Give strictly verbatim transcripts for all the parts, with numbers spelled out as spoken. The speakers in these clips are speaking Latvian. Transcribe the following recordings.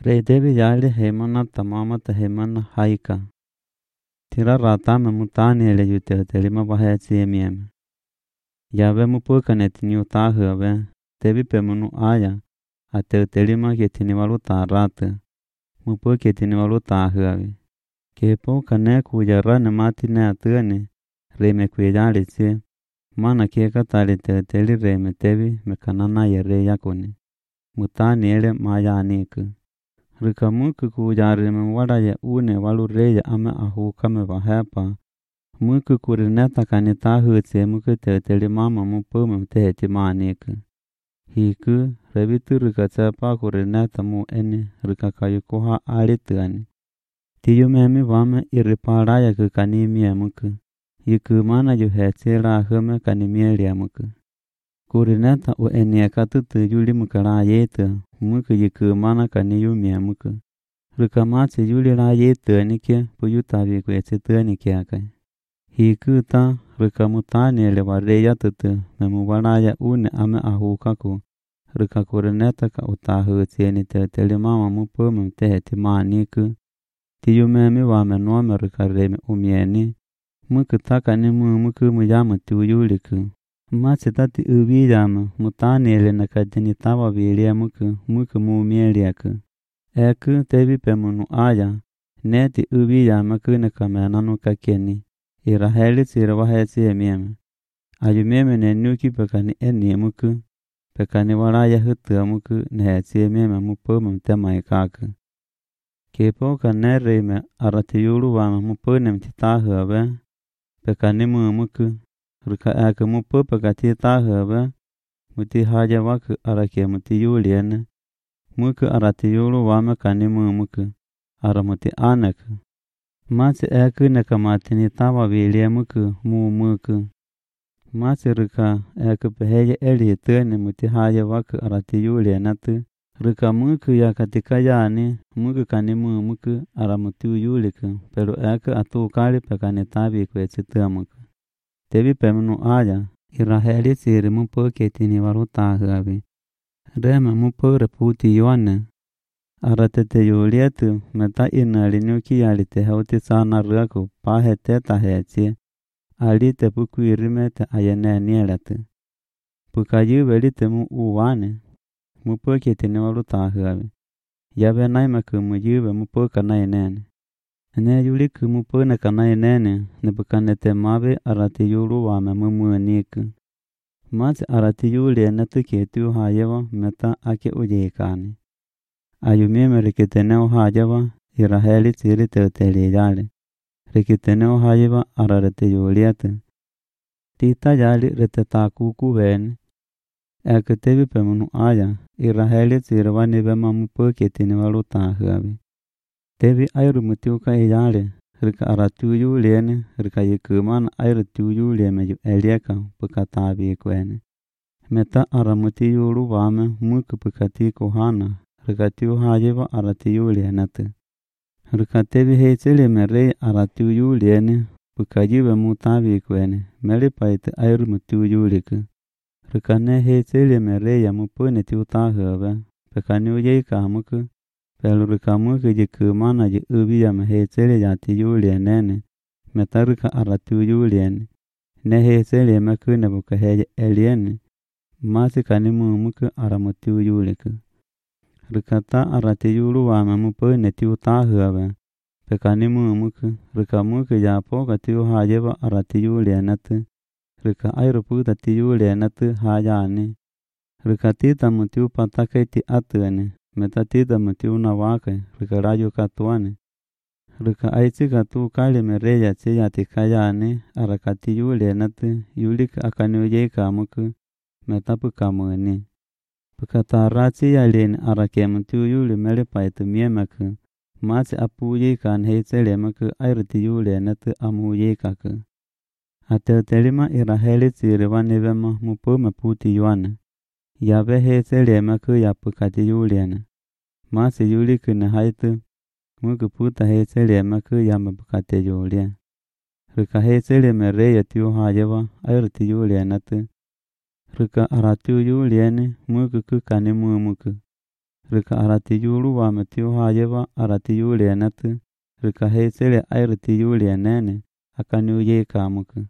Rei David yale hemana tamamata hemana haika. Tira ratame mutani ele yute telima baheti emieme. Yave mupukaneti ni utahave, tevi pemunu aya, ate telima ketini waluta rate, mupuketini waluta ahave. Kepo kane kujarane mati ne atene, reme kuyale se, mana keka tali te teli reme tevi mekanana yere yakone. Mutani ele maya aniku. Rikamuku kujare mwada ya une walu reya ame ahu kame vahepa. Muku kurineta kanita hutse muku te teli mama mupume teheti maniku. Hiku rebitu rikatsepa kurineta mu ene rikakayukoha alituani. Tiyumemi vame iriparaya kukanimia muku. Yiku mana yuhetse la hume kanimielia muku. Kurineta u eniaka tutu yuli mukala yetu. Muku yiku mana kaniyumia muku. Rukamatsi yuli la yetu anike puyutavi kwetse anikiaka. Hiku ta rukamutani ele wareya tutu memuwaraya une ame ahukaku. Rukakurineta ka utahu tieni te telimama mupume teheti maniku. Tiyumemi wame nuome rukareme umieni. Muku taka ni mu muku muyama tuyuliku. Matsi tati ubiyama mutani ele nakadini tawa vilia muku muku mumieliaku. Eku tevi pemunu aya. Neti ubiyama kunakamenanu kakeni. Iraheli tsira waheti emieme. Ayumeme nenuki pekani eni muku. Pekani waraya hutua muku neheti emieme mupume mtemaikaku. Kepo kanereme aratiyulu wama mupune mtitahuabe. Pekani mu muku. Ruka eke mupu pekati tahuabe. Muti haja waku arake muti yuliene. Muku aratiyulu wama kanimu muku. Aramuti aneku. Matsi eke nekamatini tawa vilie muku mu muku. Matsi ruka eke peheje eli tene muti haja waku aratiyuliene tu. Ruka muku ya katika yani muku kanimu muku aramutu yuliku. Pero eke atu kali pekani tabi kwetsi muku. Tevi pemunu aya. Iraheli tsiri mupu ketini warutahuabi. Rema mupu reputi yuane. Aratete yulietu meta inali nyuki alite hauti sana ruaku pahete taheti. Alite puku irimete ayene nielatu. Pukayu velite mu uwane. Mupu ketini warutahuabi. Yabe naimaku muyube mupu kanainene. Ne yuliku mupu ne kanainene. Nebukanete mabe arati yulu wame mumuaniku. Matsi arati yuli netu ketu hayewa meta ake ujekani. Ayumime rikiteneo hajewa iraheli tsiri teuteli yale. Rikiteneo hayewa ararete yuliatu. Tita yali retetaku kuweni. Eke tevi pemunu aya. Iraheli tsiri wanibema mupu ketini walutahuabi. Tevi airu mutiuka iyale. Rika aratu yuliene. Rika yikumana airu tu yulieme yu elieka pukatabi kweni. Meta aramuti yulu wame muku pukati kuhana. Rika tiu hajiva arati yuliene tu. Rika tevi heitsili merei aratu yuliene. Pukajive mutabi kweni. Melipaitu airu mutu yuliku. Rika ne heitsili merei ya mupune tiu tahuabe. Pekani ujeika muku. Pelu rika muku jikumana ji ubiyama heitsili yati yulienene. Meta rika aratu yuliene. Ne heitsili meku nebuka heje eliene. Masi kanimu muku aramutu yuliku. Rika ta arati yulu wame mupune tiu tahuabe. Pekanimu muku. Rika muku japoka tiu hajeba arati yulienatu. Rika airu puta ti yulienatu hajani. Rika tita mutiu patake ti atuene. Meta tita mutiu nawake. Rika rayu katuane. Rika aitzika tu kali mereya tsiya tikayane. Arakati yulienatu. Yulika akani ujeka muku. Meta pukamuni. Pukataratsi yalini arake mutiu yuli melipaitu miemeku. Matsi apu ujekan heitsele meku airuti yulienatu amu ujekaku. Ateutelima iraheli tsiri wanibema mupume puti yuane. Yabe heitsele meku yapukati yuliene. Matsi yuliku ne haitu. Muku puta heitsele meku yamabukate yulie. Rika heitsele mereya tiu hajewa airuti yulienatu. Rika aratu yuliene muku kukani mumuku. rika arati yulu wa matiu hayeva arati yuli anatu, rika heisele airati yuli anene, akan uye kamuku.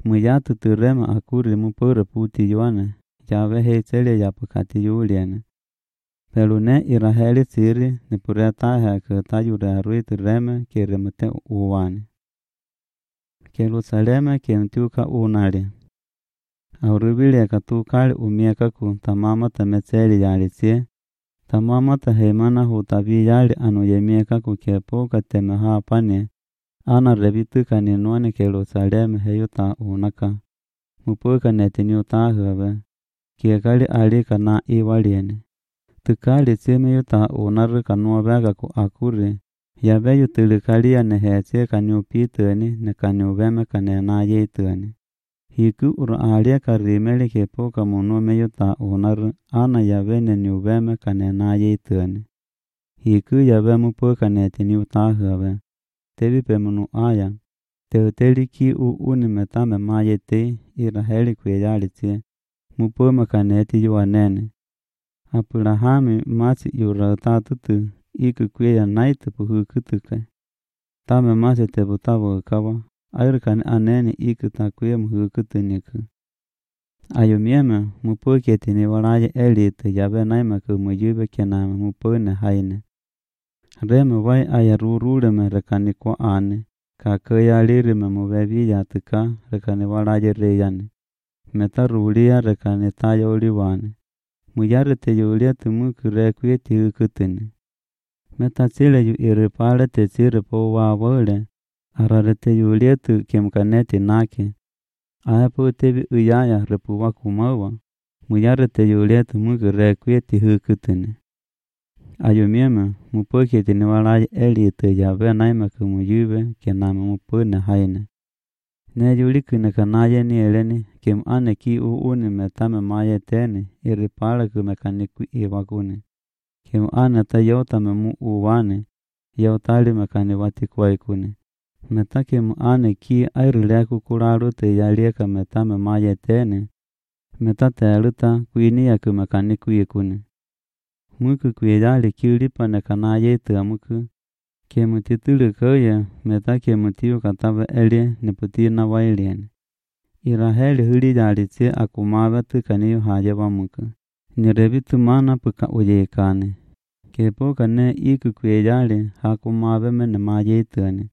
Muyatu turema akuri mupura puti yuane, Yahweh heisele yapakati yuli ane. Pelu ne iraheli siri ni pureta heke tayure arui tureme kere mute uwane. Jerusaleme kemtuka unali. Aurubile katukali umieka ku tamama tameseli yalisie. Tamama tahemana hutabi yali anu yemieka ku kepoka temeha pane. Ana rebitu kaninuani Jerusaleme heyuta unaka. Mupuka netini utahawe. Kiekali alika na iwaliene. Tukali sime yuta unaru kanuabega ku akuri. Yabe yutilikalia nehesie kaniupitani ne kaniubeme kanena yeitani. Hiku uru alia karimeli kepoka munume yuta unaru ana yabe ne niubeme kanena yeitani. Hiku yabe mupuka netini utahawe. Tebi pemunu aya. Teuteli ki u unimetame mayete iraheli kweyalitie. Mupuma kaneti yuanene. Apurahami masi yuratatutu iku kweya naitu puhukutuke. Tame masi tebutawo kawa. Ayrukani anene iku takwe muhukutuniku. Ayumieme mupuketi ni walaye elitu yabe naimaku muyube kename mupune haine. Reme wai ayaruruleme rekani kwa ane. Kakaya lirime mubebi yatuka rekani walaye reyane. Meta rulia rekani tayo uliwane. Muyare te yulia tumuku rekwe tihukutuni. Meta sile yu iripale te sire po wawole. Arare te yulia tu kemkaneti nake. Ayapo tebi uyaya repu wakumawa. Muyare te yulia tumuku rekwe tihukutuni. Ayumieme mupoketi ni walaye elitu yabe naimaku muyube kename mupune haine. Ne yulikune kanaye ni eleni kem ane ki u uni metame maye teni iripale kumekaniku iwakune. Kem ane ta yautame mu uwane yautali mekani watikwa ikune. Meta kem ane ki airuleku kularu te yalieka metame maye teni meta teluta kuinia kumekaniku ikune. Muku kuyali kiulipa ne kanaye te amuku. Kemu titulu koye meta kemu tiu kataba eli niputina wailiene. Iraheli huli yalitse akumawe tukaniyo haje wamuku. Nirebitu mana puka uyekane. Kepoka ne iku kweyali hakumawe mene mayeitane.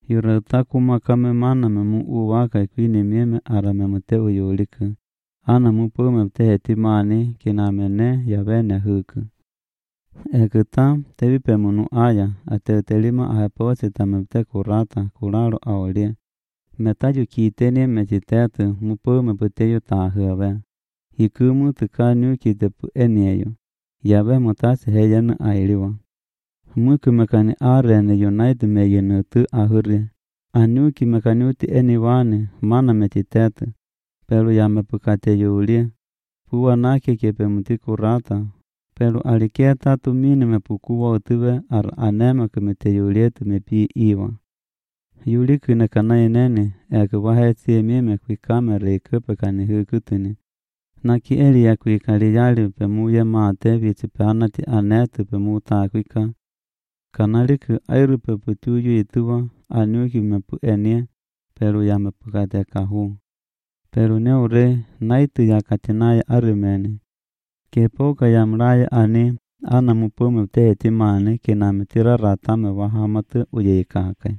Yurata kumakame mana memu uwaka kwini mieme arame mute uyuliku. Ana mupume mteheti mani kinamene yabene huku. Ekuta tebi pemunu aya ateutelima ahapose tamemte kurata kuraro aolie. Metayu kiteni mechitetu mupume puteyu tahuawe. Hikumu tukanu kitepu enieyo. Yabe mutasi heyenu ailiwa. Muku mekani arene united meyenu tu ahuri. Anuki mekanuti eniwane mana mechitetu. Pelu yamepukate yuulie. Puwa nake kepemuti kurata. Pelu aliketa tumini mepukuwa utuwe ar anema kumete yulietu mepi iwa. Yuli kune kanaye nene eke waheti emime kwi kamere ikupe kani hukutuni. Naki eli ya kwi kaliyali pemuye maate viti peanati anetu pemuta kwika. Kanaliku airupe putuyu ituwa anuki mepu enie pelu ya mepukate kahu. Pelu neure naitu ya katinaye arumene. Kepoka ya mraya ani ana mupume teheti mani kiname tira ratame wahamatu uyekake.